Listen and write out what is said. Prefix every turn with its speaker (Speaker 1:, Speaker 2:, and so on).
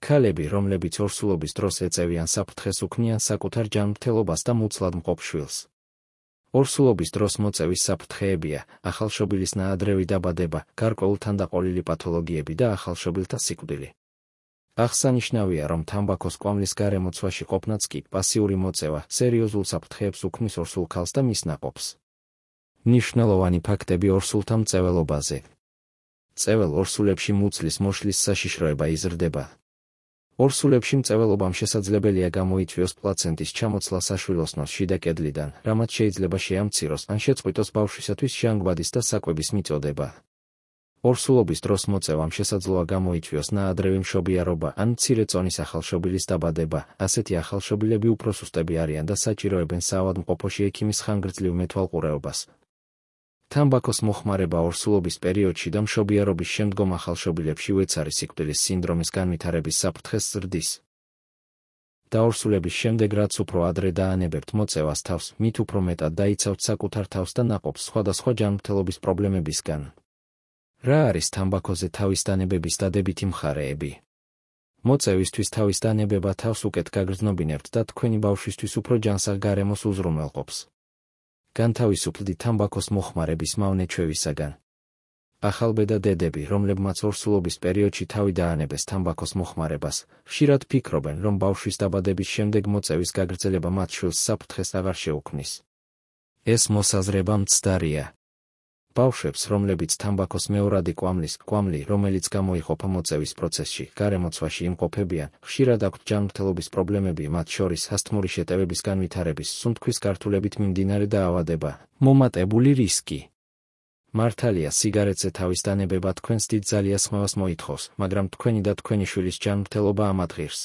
Speaker 1: ქალები, რომლებიც ორსულობის დროს ეწევიან საფრთხეს, უქმნიან საკუთარ ჯანმრთელობას და მუცლად მყოფ შვილს. ორსულობის დროს მოწევის საფრთხეებია ახალშობილის ნაადრევი დაბადება, გარკვეულ თანდაყოლილი პათოლოგიები და ახალშობილთა სიკვდილი. აღსანიშნავია, რომ თამბაქოს კვამლის გარემოცვაში ყოფნაც კი პასიური მოწევა სერიოზულ საფრთხეებს უქმნის ორსულ ქალს და მის ნაყოფს. მნიშვნელოვანი ფაქტები ორსულთა მწეველობაზე. მწეվել ორსულებში მუცლის მოშლის საშიშროება იზრდება. ორსულებში მწეველობამ შესაძლებელია გამოიწვიოს პლაცენტის ჩამოცლა საშვილოსნოს შიდა კედლიდან, რამაც შეიძლება შეამციროს ან შეწყვიტოს ბავშვისათვის ჟანგბადის და საკვების მიწოდება. ორსულობის დროს მოწევამ შესაძლოა გამოიწვიოს ნაადრევი მშობიარობა ან მცირე წონის ახალშობილის დაბადება. ასეთი ახალშობილები უფრო სუსტები არიან და საჭიროებენ საავადმყოფოში ექიმის ხანგრძლივ მეთვალყურეობას. თამბაქოს მოხმარება ორსულობის პერიოდში და მშობიარობის შემდგომ ახალშობილებში უეცარი სიკვდილის სინდრომის განვითარების საფრთხეს ზრდის. დაორსულების შემდეგ, რაც უფრო ადრე დაანებებთ მოწევას თავს, მით უფრო მეტად დაიცავთ საკუთარ თავს და ნაყოფს სხვადასხვა ჯანმრთელობის პრობლემებისგან. რა არის თამბაქოზე თავის დანებების დადებითი მხარეები? მოწევისთვის თავის დანებება თავს უკეთ გაგრძნობინებთ და თქვენი ბავშვისთვის უფრო ჯანსაღ გარემოს უზრუნველყოფს. განთავისუფლდი თამბაქოს მოხმარების მავნე-ჩვევისაგან. ახალბედა დედები, რომლებმაც ორსულობის პერიოდში თავი დაანებეს თამბაქოს მოხმარებას, ხშირად ფიქრობენ, რომ ბავშვის დაბადების შემდეგ მოწევის გაგრძელება მათ შვილს საფრთხეს აღარ შეუქმნის. ეს მოსაზრება მცდარია. ბავშვებს, რომლებიც თამბაქოს მეორადი კვამლი, რომელიც გამოიყოფა მოწევის პროცესში, გარემოცვაში იმყოფებიან, ხშირად აქვთ ჯანმრთელობის პრობლემები, მათ შორის ასთმური შეტევების განვითარების, სუნთქვის გართულებით მიმდინარე დაავადება, მომატებული რისკი. მართალია, სიგარეტზე თავის დანებება თქვენს დიდ ძალიას ხმევას მოითხოვს, მაგრამ თქვენი და თქვენი შვილის ჯანმრთელობა ამათ ღირს.